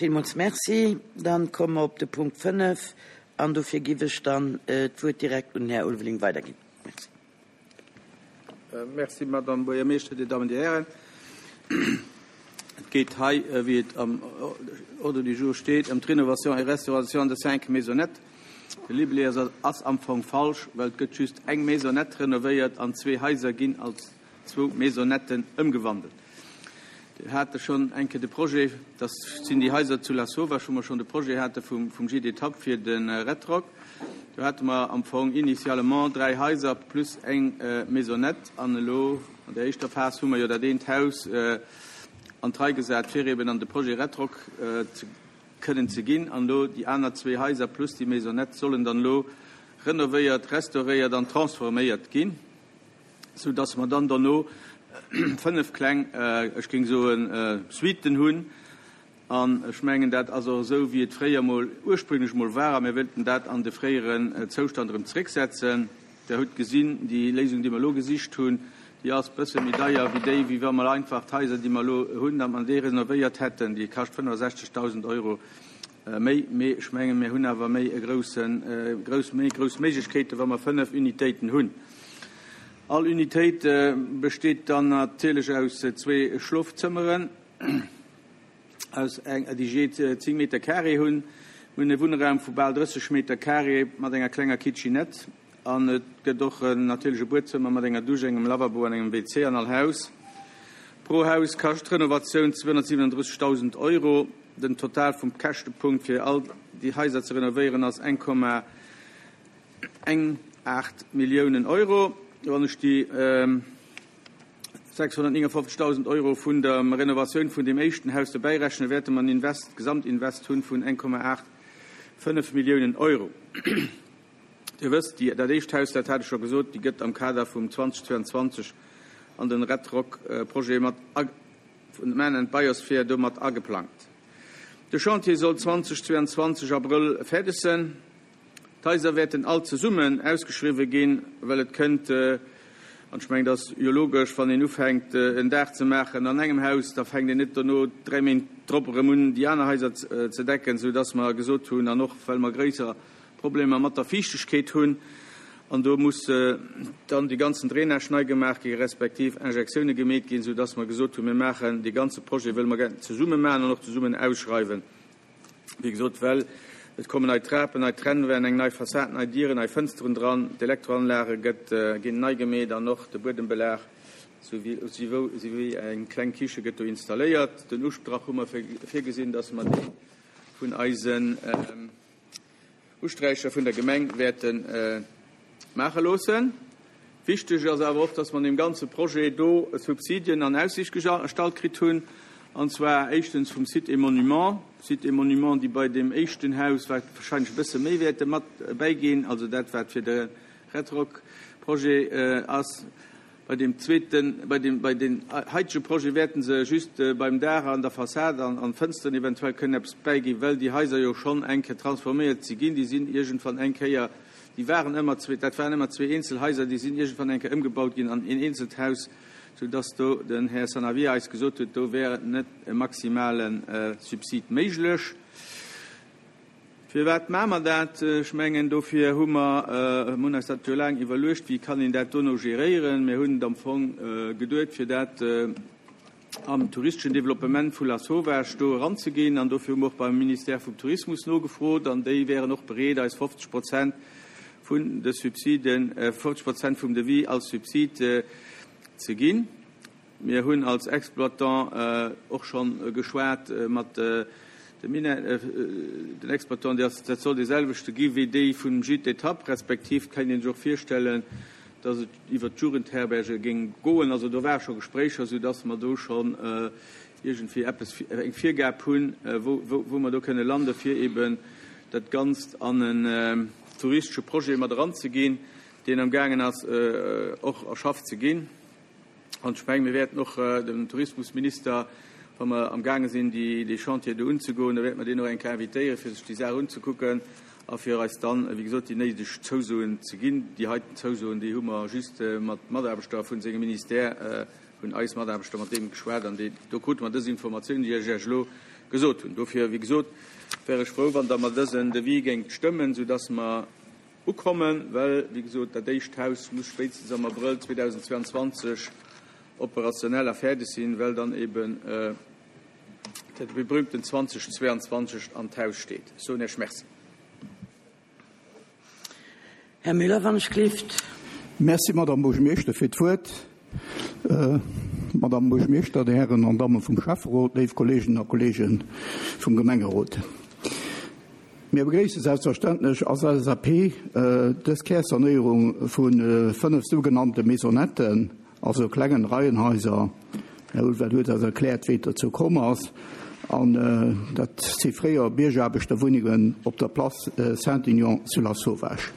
Villmools Merci. Dann komme mer op de Punkt 5 an dofir giff ech dann d'Wuert direkt un den Här Ulveling weiderginn. Merci. Merci, Madame Buergermeeschter, Dir Dammen, Dir Hären. Et geet hei, wéi et am Ordre du jour steet, ëm d'Rénovation et restauration de cinq maisonnettes. De Libellé ass am Fong falsch, well et gëtt just eng Maisonnette renovéiert an zwee Haiser ginn als zwou Maisonnetten ëmgewandelt. Dir hate schonn eng Kéier de Projet, dat sinn déi Haiser zu Lasauvage, wou mer schonn de Projet hate vum Gîte Étape fir de Retroc. Do hate mer am Fong initialement dräi Haiser plus eng Maisonnette. An elo an der éischter Phas hu mer jo dat eent Haus an d'Rei gesat, fir eben an de Projet Retroc ze kënnen ze ginn. An elo déi aner zwee Haiser plus déi Maisonnette sollen dann elo renovéiert, restauréiert an transforméiert ginn. sou dass mer dann dono 5 kleng, ech géing soen, Suiten hunn. An ech mengen, dat ass och esou, wéi et fréier mol, ursprünglech mol war, a mir wëllten dat an de fréieren Zoustand erëm zrécksetzen. Der hutt gesinn, déi Léisung, déi mer elo gesicht hunn, déi ass e bësse méi deier wéi déi, wéi wa mer einfach d'Haiser, déi mer elo hunn, datt mer déi renovéiert hätten. Déi kascht 65.000 Euro méi. Mee ech mengen, mir hunn awer méi e groussen, grouss, méi grouss Méiglechkeeten, wa mer 5 Unitéiten hunn. All Unitéit besteet dann natierlech aus zwee Schlofzëmmeren, aus eng, déi jee 10 Meter carré hunn. Mir hunn e Wunnraum vu bal 30 Meter carré mat enger klenger Kitchenette an et gëtt och natierlech e Buedzëmmer mat enger Dusch, engem Lavabo an engem WC an all Haus. Pro Haus kascht d'Renovatioun 237.000 Euro. Den Total vum Käschtepunkt fir all déi Haiser ze renovéieren ass 1,1. 8 Milliounen Euro. Wann ech déi 659.000 Euro vun der Renovatioun vun deem éischten Haus dobäi rechnen, wäerte mer en Invest, Gesamtinvest hunn vun 1,85 Milliounen Euro. Dir wësst, déi, dat éischt Haus, dat hat ech scho gesot, déi gëtt am Kader vum 2022 an den Red-Rock-Projet mat a, vun Man and Biosphere do mat ageplangt. De Chantier soll 2022 Abrëll fäerdeg sënn. D'Haiser wäerten all zesummen ausgeschriwwe ginn, well et kënnt, an ech mengen, dat ass jo logesch, wann een ufänkt en Daach ze maachen an engem Haus, da fänkt een net dono dräi Méint drop erëm un, déi aner Haiser ze decken, soudass mer gesot hunn, an och well mer gréisser Problemer mat der Fiichtegkeet hunn, an do muss dann déi ganzen Drainage nei gemaach gi respektiv Injektioune gemeet ginn, soudass mer gesot hunn, mir maachen dee ganze Projet, wëlle mer zesumme maachen an och zesummen ausschreiwen. Wéi gesot, well et kommen nei Trapen, nei Trennwänn, eng nei Fassad, nei Dieren, nei Fënsteren dran, d'Elektroanlage gëtt, ginn nei gemeet an och de Buedembelag souwéi eng kleng Kiche gëtt do installéiert. Den Ustrach hu mer virgesinn, dass mer dee vun eisen Usträicher vun der Gemeng wäerte maache loossen. Wichteg ass awer och, dass mer an deem ganze Projet do Subsidien an Aussicht gestallt kritt hunn, an zwar éischtens vum Sites et Monuments, Sites et Monuments, déi bei deem éischten Haus wahrscheinlech e bësse méi wäerte mat bäiginn, also dat wat fir de Redrock-Projet ass. Bei deem zweeten, bei deem, bei den heitege Projet wäerten se just beim Daach an der Fassad an an Fënsteren eventuell kënnen eppes bäiginn, well déi Haiser jo schonn eng Kéier transforméiert si ginn. Déi sinn iergendwann eng Kéier, déi waren ëmmer zwee, dat waren ëmmer zwee eenzel Haiser, déi sinn iergendwann eng Kéier ëmgebaut ginn an een eenzelt Haus, soudass do den Här Sanavia eis gesot huet, do wär net e maximale Subsid méiglech. Firwat maache mer dat? Ech mengen, dofir hu mer, mir hunn eis dat jo laang iwwerluecht, wéi kann een dat dono geréieren. Mir hunn et am Fong geduet, fir dat am touristeschen Développement vu Lasauvage do eranzeginn. An dofir hu mer och beim Ministère vum Tourismus nogefrot an déi wären och bereet, eis 50 Prozent vun de Subsiden, 50 Prozent vum Devis als Subsid ze ginn. Mir hunn als Exploitant och scho geschwat mat den Exploitanten, dat soll dee selwechte gi wéi déi vum Gîte d'étape, respektiv kéint ee sech och virstellen, datt et iwwert d'Jugendherberge géing goen. Also do ware scho Gespréicher, soudatt mer do schonn iergendwéi eppes, eng Virgab hunn, wou mer do kënne landen, fir eeben dat Ganzt an en touristesche Projet mat eranzeginn, deen amgaangen ass och erschafft ze ginn. An ech mengen, mir wäerten och dem Tourismusminister, wa mer amgaange sinn, dee Chantier do unzegoen, da wäerte mer deen och eng Kéier invitéieren, fir sech déi Saach unzekucken a fir eis dann, wéi gesot, déi néideg Zousoen ze ginn. Déi heiten Zousoen, déi hu mer just mat Mataarbechter vu sengem Ministère, hunn eis Mataarbechter mat deem geschwat an déi, do krute mer dës Informatioun, déi ech Iech elo. gesot hunn. Dofir, wéi gesot, wär ech frou, wann Der mer dësen Devis géingt stëmmen, soudass mer ukommen, well, wéi gesot, dat éischt Haus muss spéitstens am Abrëll 2022 operationell a fäerdeg sinn, well dann eben dat berühmten 2022 an d'Haus steet. Ech soen Iech Merci. Här Müller, wann ech gelift. Merci, Madame Buergermeeschter, fir d'Wuert. Madame Buergermeeschter, Dir Hären an Damme vum Schäfferot, léif Kolleeginnen a Kolleege vum Gemengerot. Mir begréisse selbstverständlech als LSAP dës Kärsanéierung vu 5 sougenannte Maisonnetten, also klengen Reihenhaiser. Här Ulveling huet eis erkläert, wéi et dozou komm ass. An dat si fréier Biergaarbechterwunnengen op der Place Saint-Aignan zu Lasauvage.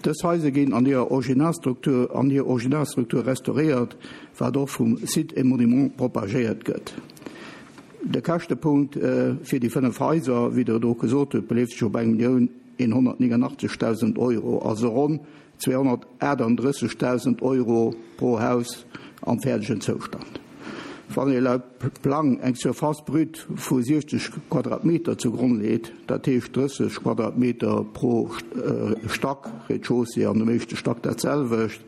Dës Haiser ginn an hirer Originalstruktur an hir Originalstruktur restauréiert, wat och vum Sites et Monuments propagéiert gëtt. De Käschtepunkt fir déi 5 Haiser, wéi Der et och gesot hutt, beleeft sech op 1.189.000 Euro, also ronn 238.000 Euro pro Haus am fäerdegen Zoustand. Wann ee laut Plang eng Surface brute vu 60 Quadratmeter zu Gronn leet, dat heescht 30 Quadratmeter pro Stack, Rez-de-chaussée an dem éischte Stack dat selwecht,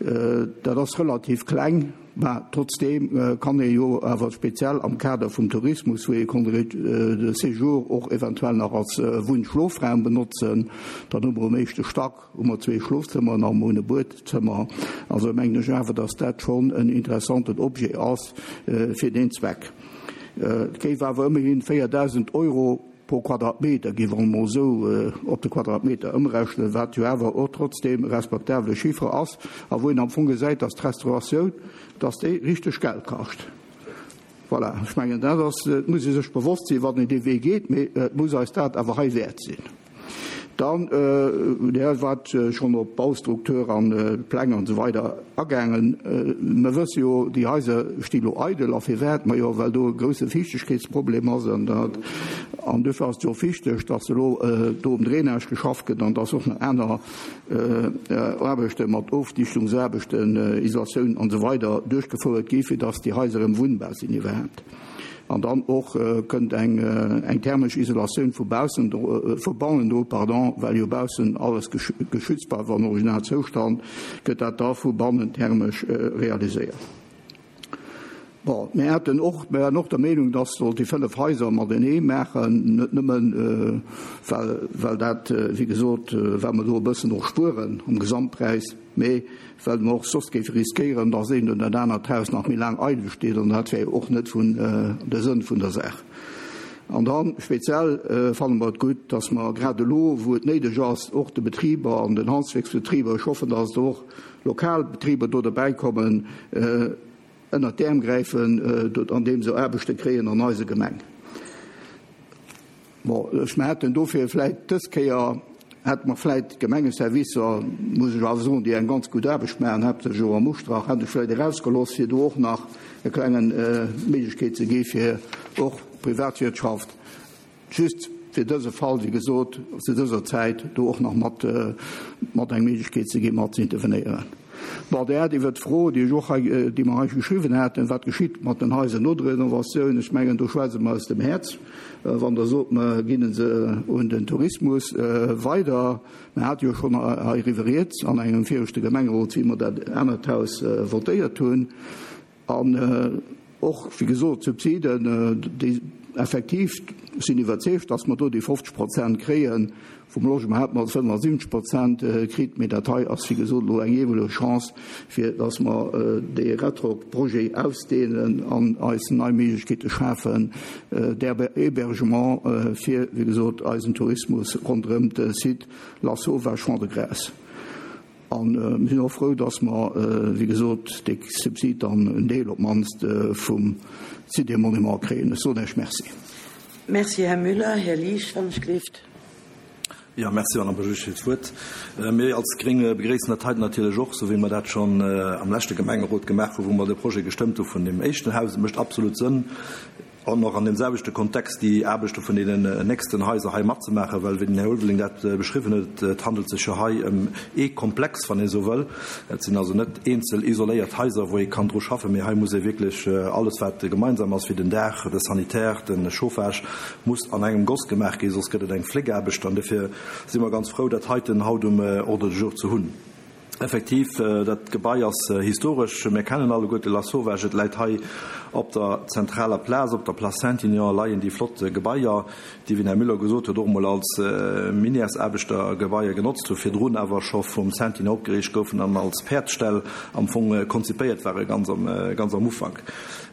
dat ass relativ kleng. Mä trotzdeem kann ee jo awer speziell am Kader vum Tourismus, wou ee konnt de Séjour och eventuell nach als Wunn-Schlofraum benotzen, dann hu mer um éischte Stack hu mer zwee Schlofzëmmeren a mer hunn e Buedzëmmer. Also mengen ech awer, datt dat schonn en interessanten Objet ass fir deen Zweck. Et géif awer ëmmerhin 4.000 Euro pro Quadratmeter, gi mer emol esou op de Quadratmeter ëmrechnen, wat jo awer och trotzdeem e respektabele Chiffre ass a wou een am Fong gesäit, dass d'Restauratioun, dass déi richteg Geld kascht. Voilà, ech mengen, dat ass, et muss ee sech bewosst sinn, wann een dee Wee geet, mee et muss eis dat awer hei wäert sinn. Dann, Dir waart schonn op Baustruktur an Pläng an esou weider agaangen. Mer wësse jo, déi Haiser sti lo eidel. A firwat? Majo, well do e grousse Fiichtegkeetsproblem ass. An dat, an duerfir ass et jo och wichteg, dass elo do um Drainage geschafft gëtt an dass och nach aner Aarbechte mat Ofdichtungsaarbechten, Isolatioun an esou weider duerchgefouert gi fir dass déi Haiser erëm wunnbar sinn iwwerhaapt. An dann och kënnt eng eng thermesch Isolatioun vu baussen do, vu bannen do, pardon, well jo baussen alles geschützt bleift am Originalzoustand, gëtt dat da vu bannen thermesch realiséiert. Bon, mir haten och, mir waren och der Meenung, dass sollt déi 5 Haiser matenee maachen, net nëmmen, well, well dat, wéi gesot, well mer do e bëssen och spueren um Gesamtpräis, mee well mer och soss géife riskéieren, dass eent oder dat anert Haus nach méi laang eidel steet, an dat wär jo och net vun de Sënn vun der Saach. An da speziell fanne mer et gutt, dass mer grad elo, wou et néideg ass, och de Betriber an den Handwierksbetriber, ech hoffen, dass et och lokal Betriber do derbäi kommen, ënnert d'Äerm gräifen, andeem se Aarbechte kréien an eise Gemeng. Bon, ech, mer hätten dofir vläit dës Kéier, hätte mer vläit d'Gemengeservicer, muss ech awer soen, déi eng ganz gutt Aarbecht maachen, haaptsächlech och am Ustrach, hätt ech vläit erausgelooss, fir do och nach e klengen Méiglechkeet ze gi fir och d'Privatwirtschaft, just fir dëse Fall, wéi gesot, zu dëser Zäit do och nach mat, mat eng Méiglechkeet ze gi mat ze intervenéieren. Bon, Dir hat iwwert d'Fro, déi ech och hei, déi mer hei geschriwwen haten, wat geschitt mat den Haiser no der Renovatioun, ech mengen, do schwätze mer aus dem Häerz, wann Der sot, mer ginn se un den Tourismus weider. Mer hate jo schonn heiriwwer rieds an engem viregte Gemengerot, wéi mer dat anert Haus votéiert hunn. An och, wéi gesot, d'Subsiden, déi effektiv, ech sinn iwwerzeegt, datt mer do déi 50 Prozent kréien. Vum Logement hätte mer 75 Prozent kritt, mee dat hei ass, wéi gesot, elo eng eemoleg Chance, fir datt mer dee Retrop-Projet ausdehnen an eis nei Méiglechkeete schafen, d'Hébergement fir, wéi gesot, eisen Tourismus ronderëm de Site Lasauvage Champ de Graisse. A mir sinn och frou, dass mer, wéi gesot, dee Subsid dann en Deel op d'mannst vum Site des Monuments kréien. Ech soen Iech Merci. Merci, Här Müller. Här Liesch, wann ech gleeft. Jo, merci, Madame Buergermeeschtesch, fir d'Wuert. Mir als Gréng begréissen dat heiten natierlech och, esou wéi mer dat schonn am leschte Gemengerot gemaach hunn, wou mer de Projet gestëmmt hu vun deem éischten Haus. Et mécht absolut Sënn. An och an deem selwechte Kontext déi Aarbechte vun deenen nächsten Haiser hei matzemaachen, well, wéi den Här Ulveling dat beschriwwen huet, et handelt sech jo hei ëm ee Komplex, wann ee sou wëll. Et sinn also net eenzel isoléiert Haiser, wou ee kann dru schaffen, mee hei muss ee wierklech alles, wat gemeinsam ass, wéi den Daach, de Sanitaire, de Chauffage, muss an engem Goss gemaach ginn, soss gëtt et eng Fléckaarbecht. An dofir si mer ganz frou, dat heiten haut um Ordre du jour ze hunn. Effektiv, dat Gebai ass historesch. Mir kennen alleguerte Lasauvage. Et läit hei op der zentraler Plaz, op der Place Saint-Aignan leien déi flott Gebaier, déi, wéi den Här Müller gesot huet, och emol als Minièresaarbechtergebaier genotzt hu virdrun, awer scho vum Saint-Aignan opgeriicht goufen an als Päerdsställ am Fong konzipéiert ware ganz am, ganz am Ufank.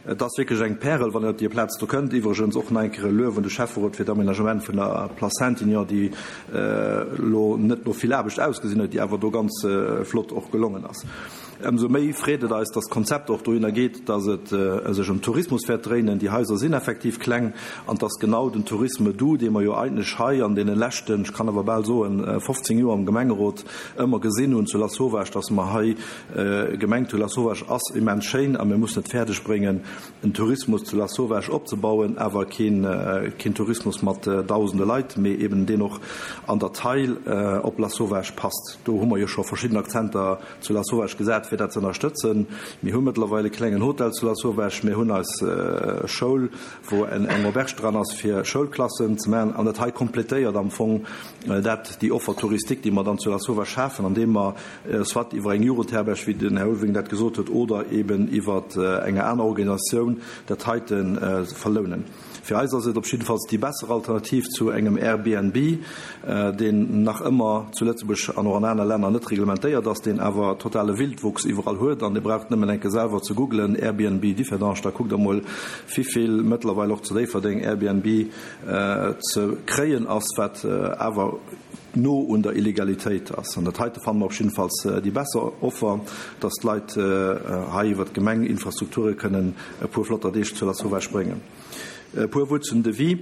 Et ass wierklech eng Pärel, wann een op déi Plaz do kënnt. Iwwregens och nach eng Kéier e Luef un de Schäfferot fir d'Aménagement vun der Place Saint-Aignan, déi elo net no vill Aarbecht ausgesinn huet, déi awer do ganz flott och gelongen ass. Ëmsou méi freet et eis, dass d'Konzept och dohinner geet, dass et sech ëm Tourismus wäert dréinen. Déi Haiser sinn effektiv kleng an dass genau den Tourisme doux, dee mer jo eigentlech hei an deene leschten, ech kann awer bal soen, 15 Joer am Gemengerot ëmmer gesinn hunn zu Lasauvage, dass mer hei gemengt hunn, Lasauvage ass immens schéin a mir mussen et fäerdeg bréngen, en Tourismus zu Lasauvage opzebauen, awer keen Tourismus mat dausende Leit, mee eben deen och an der Taille op Lasauvage passt. Do hu mer jo scho verschidden Akzenter zu Lasauvage gesat, fir dat ze ënnerstëtzen. Mir hu mëttlerweil e klengen Hotel zu Lasauvage, mir hunn eis Schoul, wou eng Auberge dran ass, fir Schoulklassen ze maachen. An dat hei kompletéiert am Fong dat, déi Offer touristique, déi mer dann zu Lasauvage schafen, andeem mer soit iwwer eng Jugendherberg, wéi den Här Ulveling dat gesot huet, oder eben iwwer enger aner Organisatioun dat heite verlounen. Fir eis ass et op jiddefalls déi besser Alternativ zu engem Airbnb, deen nach ëmmer zu Lëtzebuerg an och an aner Länner net reglementéiert ass, deen awer totale Wildwuchs iwwerall huet. An Dir braucht nëmmen enke selwer ze googlen, Airbnb Differdange, da kuckt Der mol, wivill mëttlerweil och zu Déifferdeng Airbnb ze kréien ass, wat awer no un der Illegalitéit ass. An dat heite fanne mer op jiddefalls déi besser Offer, dass d'Leit hei iwwer d'Gemeng Infrastrukture kënnen e puer flotter Deeg zu Lasauvage bréngen. E puer Wuert zum Devis.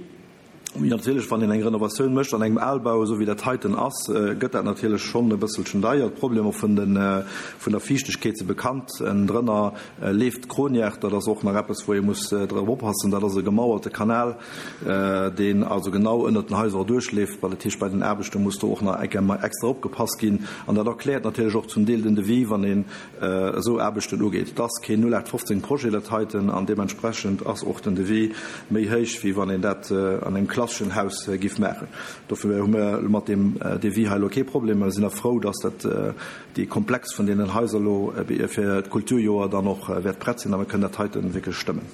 Natierlech, wann een eng Renovatioun mécht an engem Albau, esou wéi dat heiten ass, gëtt dat natierlech schonn e bësselchen deier. D'Problemer vun der Fiichtegkeet si bekannt. Ënnendrënner leeft d'Kroniach. Dat ass och nach eppes, wou ee muss drop oppassen. Dat ass e gemauerte Kanal. deen also genau ënnert den Haiser erduerchleeft, well dat heescht, bei den Aarbechte muss do och nach eng Kéier extra opgepasst ginn. An dat erkläert natierlech och zum Deel den Devis, wann een esou Aarbechten ugeet. Et ass keen 0815 Projet dat heiten an deementsprechend ass och den Devis méi héich, wéi wann een dat an engem klasseschen Haus giff maachen. Dofir hu mir mat deem Devis hei elo kee Problem. Mir sinn och frou, dass dat dee Komplex vun deenen Haiser elo fir d'Kulturjoer dann och wäert prett sinn a mir kënnen dat heite wierklech stëmmen.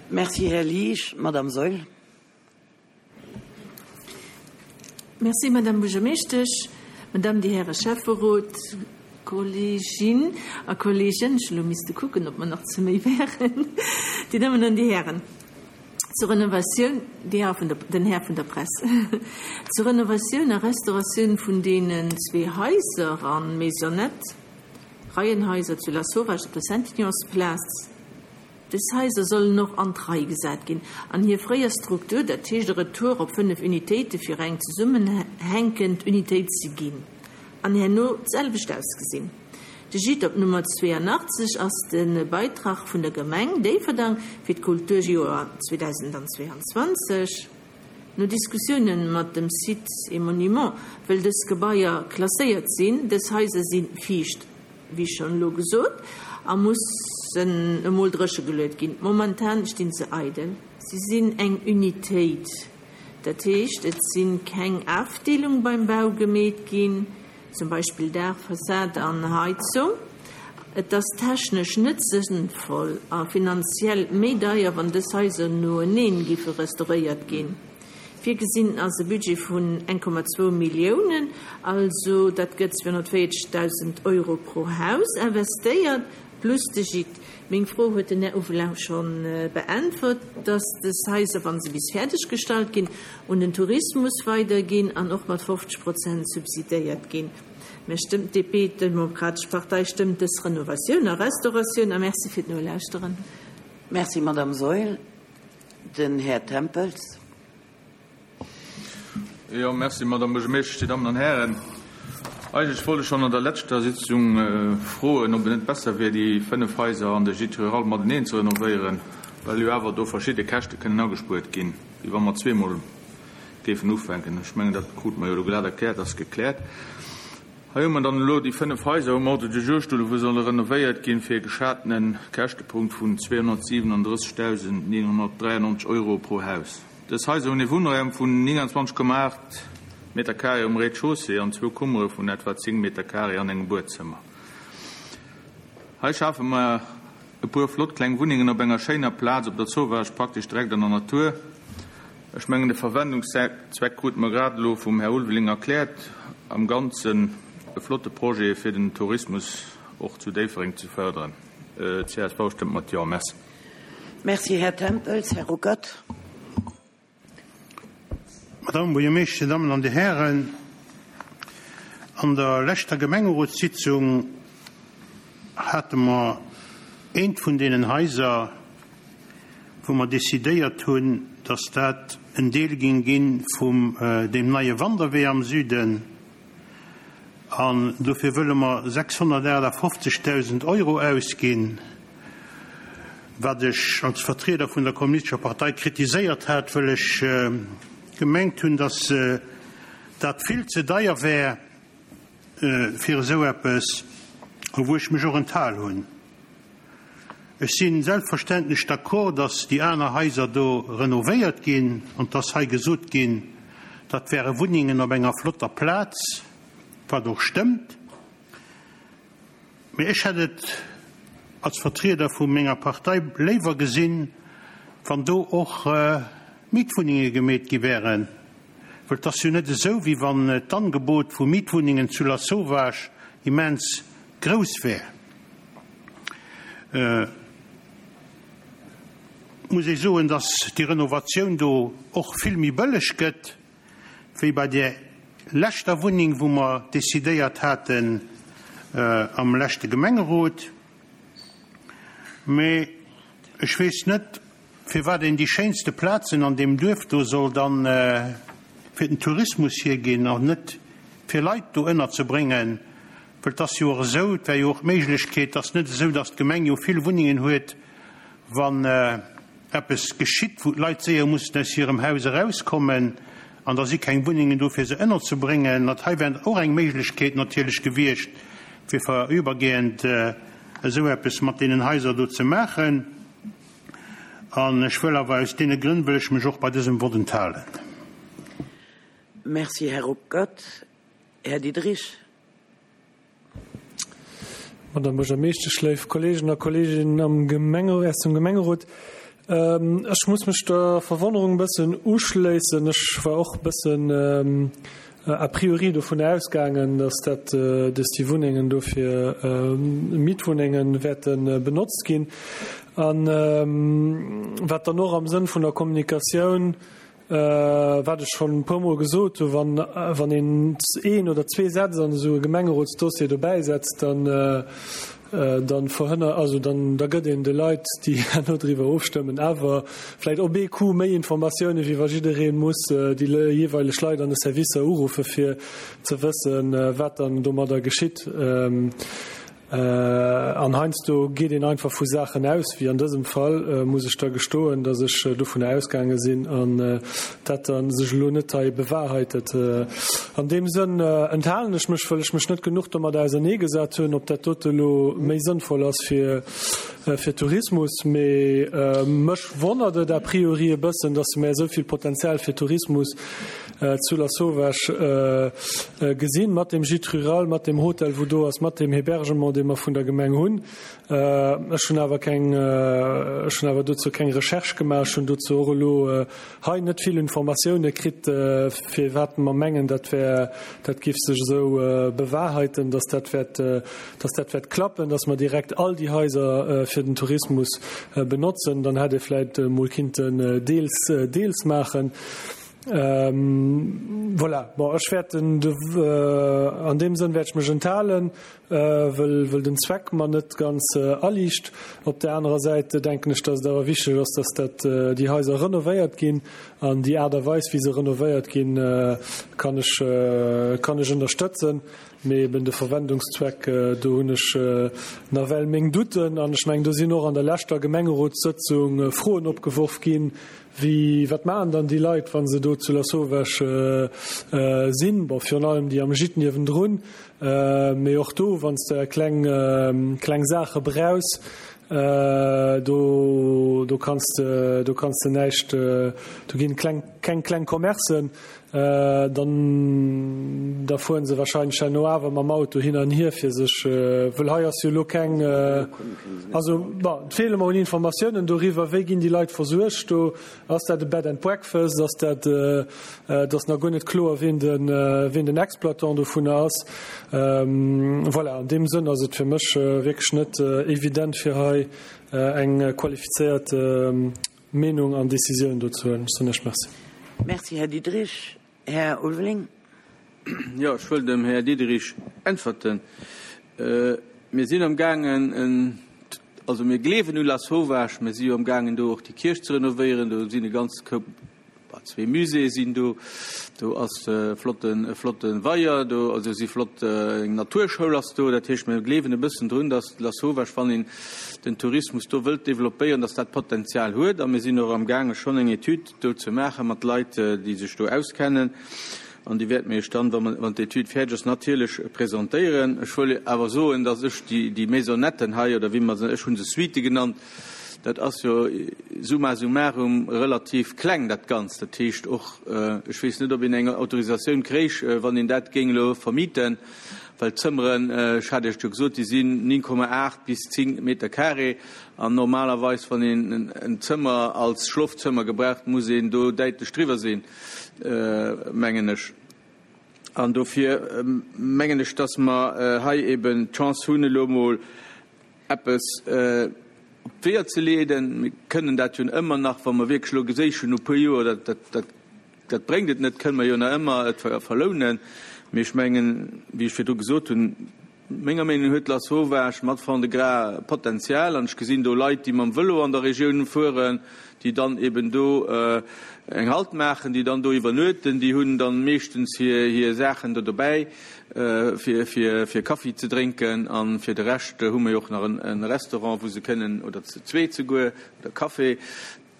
Merci, Här Liesch. Madame Saeul. Merci, Madame Buergermeeschtesch, Madame, Dir Häre Schäfferot, Kolleginn a Kollegen, ech hu elo misste kucken, ob mer nach zu méi wären, Dir Dammen an Dir Hären. Zur Renovatioun, déi Här vun der, den Här vun der Press, zur Renovatioun a Restauratioun vun deenen zwee Haiser a Maisonnette, Reienhaiser zu Lasauvage op der Saint-Ignace-Plaz, Dës Haiser sollen och an d'Rei gesat ginn an hir fréier Struktur, dat heescht e Retour op 5 Unitéite fir eng zesummenhänkend Unitéit ze ginn an herno d'selwecht ausgesinn. De Gîte op Nummer 82 ass de Beitrag vun der Gemeng Déifferdang fir d'Kulturjoer 2022. No Diskussiounen mat dem Sites et Monuments wëll dës Gebaier klasséiert sinn. Dës Haiser si fiicht. wéi schonn elo gesot, a mussen emol dréche geluet ginn. Momentan stinn se eidel. Si sinn eng Unitéit, dat heescht, et si keng Afdeelung beim Bau gemeet ginn, zum Beispill Daach, Fassad an Heizung. Et ass technesch net sënnvoll a finanziell méi deier, wann dës Haiser noeneen giffe restauréiert ginn. Virgesinn ass e Budget vun 1,2 Milliounen, also dat gëtt 240.000 Euro pro Haus investéiert, plus de Gîte. Meng Fro huet den Här Uvelau scho beäntwert, dass des Haiser, wa se bis fäerdeg gestallt ginn, un den Tourismus weiderginn an och mat 50 Prozent subsidéiert ginn. Mir stëmmt, d'DP, d'Demokratesch Partei, stëmmt dës Renovatioun a Restauratioun a Merci fir d'Nolauschteren. Merci, Madame Saeul. Den Här Tempels. Jo, merci, Madame Buergermeeschtesch, Dir Dammen an Hären. Eigentlech wollt ech schonn an der leschter Sitzung froen, ob et net besser wier, déi 5 Haiser an de Gîte rural mateneen ze renovéieren. well jo awer do verschidde Käschte kënnen agespuert ginn, wéi wa mer zweemol géifen ufänken. Ech mengen, dat krute mer jo elo glat erkläert, ass gekläert. Hei hu mer dann elo déi 5 Haiser um Ordre du jour stoen, wou solle renovéiert ginn, fir e geschatene Käschtepunkt vun 237.993 Euro pro Haus. Dës Haiser hunn ee Wunnraum vun 29,8 Meter carré um Rez-de-chaussée an zwou Kummere vun etwa 10 Meter carré an engem Buedzëmmer. Hei schafe mer e puer flott kleng Wunnengen op enger schéiner Plaz op der Zowaasch, praktesch direkt an der Natur. Ech mengen, de Verwendungszweck krute mer grad elo vum Här Ulveling erkläert. Am Ganzen e flotte Projet, fir den Tourismus och zu Déifferdeng ze förderen. Csv stëmmt mat Jo. Merci. Merci, Här Tempels. Här Ruckert. Madame Buergermeeschter, Dir Dammen an Dir Hären, an der leschter Gemengerotssitzung hate mer eent vun deenen Haiser, wou mer decidéiert hunn, dass dat en Deel ging gi vum deem neie Wanderwee am Süden. An dofir wëlle mer 658.000 Euro ausginn, wat ech als Vertrieder vun der Kommunistescher Partei kritiséiert hat, wëll ech gemengt hunn, datt dat vill ze deier wär fir esou eppes, a wou ech mech och enthal hunn. Ech si selbstverständlech d'accord, dass déi aner Haiser do renovéiert ginn an 't ass hei gesot ginn, dat wäre Wunnengen op enger flotter Plaz, wat och stëmmt. Mee ech hätt et als Vertrieder vu menger Partei léiwer gesinn, wann do och Mietwunnenge gemeet gi wären, well 't ass jo net esou, wéi wann d'Angebot vu Mietwunnengen zu Lasauvage immens grouss wär. Et muss ee soen, dass déi Renovatioun do och vill méi bëlleg gëtt wéi bei där leschter Wunneng, wou mer decidéiert haten am leschte Gemengerot. Mee ech weess net, firwat een déi schéinste Plazen an deem Duerf do soll dann fir den Tourismus hierginn an net fir Leit do ënnerzebréngen. Well et ass jo och esou, et wär jo och d'Méiglechkeet, et ass net esou, datt d'Gemeng jo vill Wunnengen huet, wann eppes geschitt, wou d'Leit séier mussen aus hirem Haus erauskommen an da si keng Wunnengen do, fir se ënnerzebréngen. Dat hei wär och eng Méiglechkeet natierlech gewiescht, fir vorübergehend esou eppes mat deenen Haiser do ze maachen. An ech wëll awer, aus deene Grënn wëll ech mech och bei dësem Vott enthalen. Merci, Här Ruckert. Här Diderich. Madame Buergermeeschtesch, léif Kolleegen a Kolleeginnen am Gemenge, aus dem Gemengerot, ech muss mech der Verwonnerung e bëssen uschléissen. Ech war och e bëssen a priori dovun ausgaangen, dass dat, dass déi Wunnengen do fir Mietwunnenge wäerte benotzt ginn. An wat dann och am Sënn vun der Kommunikatioun Wat ech schonn e puermol gesot hu, wann, wann een een oder zwee Sätz an esou e Gemengerotsdossier dobäi setzt, dann, dann verhënner, also dann, da gëtt een de Leit, déi herno driwwer ofstëmmen, awer vläicht op ee Coup méi Informatiounen, wéi wa jidderee muss déi jeeweileg Leit an de Servicer uruffe fir ze wëssen, wat dann domadder geschitt. An heiansdo geet een einfach vu Saachen aus, wéi an dësem Fall, muss ech da gestoen, datt ech dovunner ausgaange sinn an dat da sech elo net hei bewahrheitet. An deem Sënn enthalen ech mech, wëll ech mech net genuch domat auserneegesat hunn, ob dat dote elo méi sënnvoll ass fir fir Tourismus. Mee mech wonnert et a priori e bëssen, datt mer esou vill Potenzial fir Tourismus zu Lasauvage gesinn, mat deem Gîte rural, mat deem Hotel, wou do ass, mat deem Hébergement, dee mer vun der Gemeng hunn. Ech hunn awer keng, ech hunn awer dozou keng Recherche gemaach. Ech hunn dozou och elo hei net vill Informatioune kritt, firwat mer mengen, dat wär, dat géif sech esou bewahrheiten, dass dat wäert, dass dat wäert klappen, dass mer direkt all déi Haiser fir den Tourismus benotzen. Dann hätt ee vläicht emol kinnten deels, deels maachen. Voilà, bon, ech wäert den, an deem Sënn wäert ech mech enthalen, wëll, wëll den Zweck mer net ganz aliicht. Op där anerer Säit denken ech, dass et awer wichteg ass, dass dat, déi Haiser renovéiert ginn. An déi Aart a Weis, wéi se renovéiert ginn, kann ech, kann ech ënnerstëtzen. Mee eben de Verwendungszweck, do hunn ech nawell meng Douten. An ech mengen, do sinn och an der leschter Gemengerotssëtzung Froen opgeworf ginn, Wéi, wat maachen dann déi Leit, wa se do zu Lasauvage sinn? Bon, virun allem déi am Gîte niewendrun. Mee och do, wann s de kleng, kleng Saache brauchs, do, do kanns de, do kanns de näischt, do ginn kleng, keng kleng Commercen. Dann da fueren se wahrscheinlech herno awer mam Auto hin an hier fir sech, wëll hei ass jo elo keng, also bon, et feele mer un Informatiounen doriwwer, wéi ginn déi Leit versuergt do, ass dat e Bed and Breakfast, ass dat, et ass nach guer net kloer wien de wien den Exploitant dovunner ass. Voilà, an deem Sënn ass et fir mech wierklech net evident fir hei eng qualifizéiert Meenung an Décisioun do ze huelen. Ech soen Iech Merci. Merci, Här Diderich. Här Ulveling. Jo, ech wëll dem Här Diderich äntwerten. Mir sinn amgaangen en, also mir gleewen u Lasauvage, mir si jo amgaangen do och déi Kierch ze renovéieren, do sinn e ganze Koup, Zwee Muséeë sinn do, do ass e flotten, e flotte Weier do, also si flott, eng Naturschoul ass do. Dat heescht, mir gleewen e bëssen drun, datt Lasauvage, wann een den Tourismus do wëllt développéieren, datt dat Potenzial huet. A mir sinn och amgaange schonn eng Etüd do ze maache mat Leit, déi sech do auskennen. An déi wäerte mir Iech dann, wa mer, wann d'Etüd fäerdeg ass, natierlech presentéieren. Ech wëll awer soen, datt ech déi, déi Maisonnetten hei, oder wéi mer se, ech hu se Suitë genannt, Dat ass jo summa summarum relativ kleng, dat Ganzt. Dat heescht och, ech weess net, ob een eng Autorisatioun kréich, wann een dat géing elo vermieten, well d'Zëmmeren, ech hat Iech jo gesot, déi sinn 9,8 bis 10 Meter carré. An normalerweis, wann een en Zëmmer als Schlofzëmmer gebraucht, muss een do däitlech driwwer sinn, mengen ech. An dofir mengen ech, dass mer hei eben d'Chance hunn, elo emol eppes op d'Weeër ze leeden. Mir kënnen dat jo ëmmer nach, wa mer wierklech elo geséichen no e puer Joer, dat, dat, dat, dat bréngt et net, kënnen mer jo nach ëmmer et verlounen. Mee ech mengen, wéi ech virdru gesot hunn, menger Meenung no huet Lasauvage mat Fond-de-Gras Potenzial. An ech gesinn do Leit, déi mam Vëlo an der Regioun fueren, déi dann eben do eng Halt maachen, déi dann do iwwernuechten. Déi hunn dann meeschtens hir, hir Saachen do dobäi. fir Kaffi ze drénken an fir de Rescht hu mer jo och nach en Restaurant wou se kënnen, oder zweet souguer, oder Café,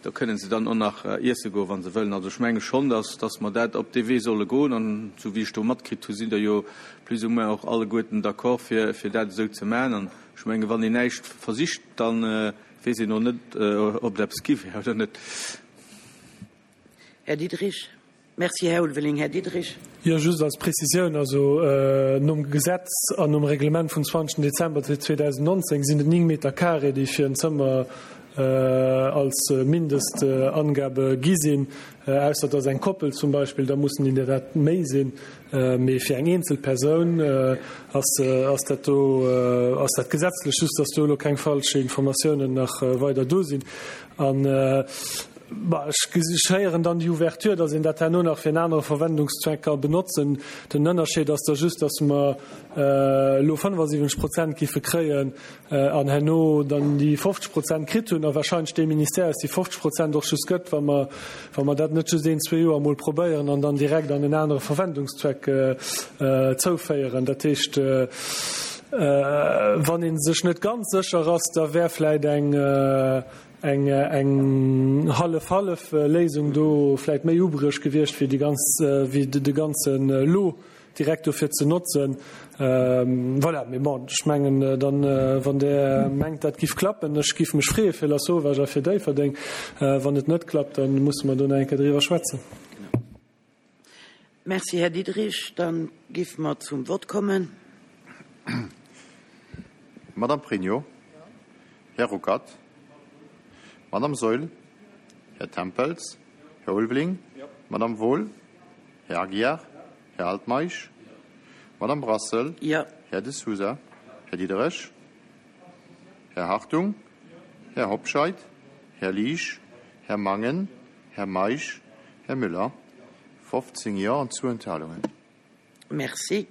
do kënnen se dann och nach iesse goen, wa se wëllen. Also ech menge schonn, dass dass mer dat op dee Wee solle goen an esou wéi ech do matkritt hu sinn der jo plus ou moins och alleguerten d'accord fir fir dat esou ze maachen an ech menge wann een näischt versicht, da weess een och net ob et eppes gi wär oder net. Här Diderich. Merci, Här Ulveling. Här Diderich. Jo, just als Prezisioun, also nom Gesetz an nom Reglement vum 20. Dezember 2019 sinn et 9 Meter carré, déi fir en Zëmmer als Mindestangabe gi sinn, ausser et ass eng Koppel zum Beispill, da mussen der dat méi sinn. Mee fir eng eenzel Persoun ass dat do, ass dat gesetzlech, just dass do elo keng falsch Informatiounen nach weider do sinn. An Bah, ech héieren dann déi Ouverture, datt een dat herno nach fir en anere Verwendungszweck ka benotzen. Den Ënnerscheed ass da just, datt mer elo 75 Prozent géife kréien an herno dann déi 50 Prozent kritt hunn a wahrscheinlech dee Ministère eis déi 50 Prozent och just gëtt, wa mer, wa mer dat net just een, zwee Joer emol probéieren an dann direkt an en anere Verwendungszweck zouféieren. Dat heescht, wann ee sech net ganz sécher ass, da wär vläicht eng, eng eng hallef-hallef Léisung do vläit méi ubruecht gewiescht wéi déi ganz wéi de ganzen Lot direkt dofir ze notzen. Voilà, mee bon, ech mengen dann, wann Der mengt dat giff klappen, ech giff mech freeë fir Lasauvage a fir Déifferdeng. Wann et net klappt, da musse mer do nach eng Kéier driwwer schwätzen. Merci, Här Diderich. Dann géife mer zum Vott kommen. Madame Pregno. Här Ruckert. Madame Saeul. Här Tempels. Här Ulveling. Madame Wohl. Här Aguiar. Här Altmeisch. Madame Brassel. Här De Sousa. Här Diderich. Här Hartung. Här Hobscheit. Här Liesch. Här Mangen. Här Meisch. Här Müller. 15 Jo an 2 Enthalungen. Merci.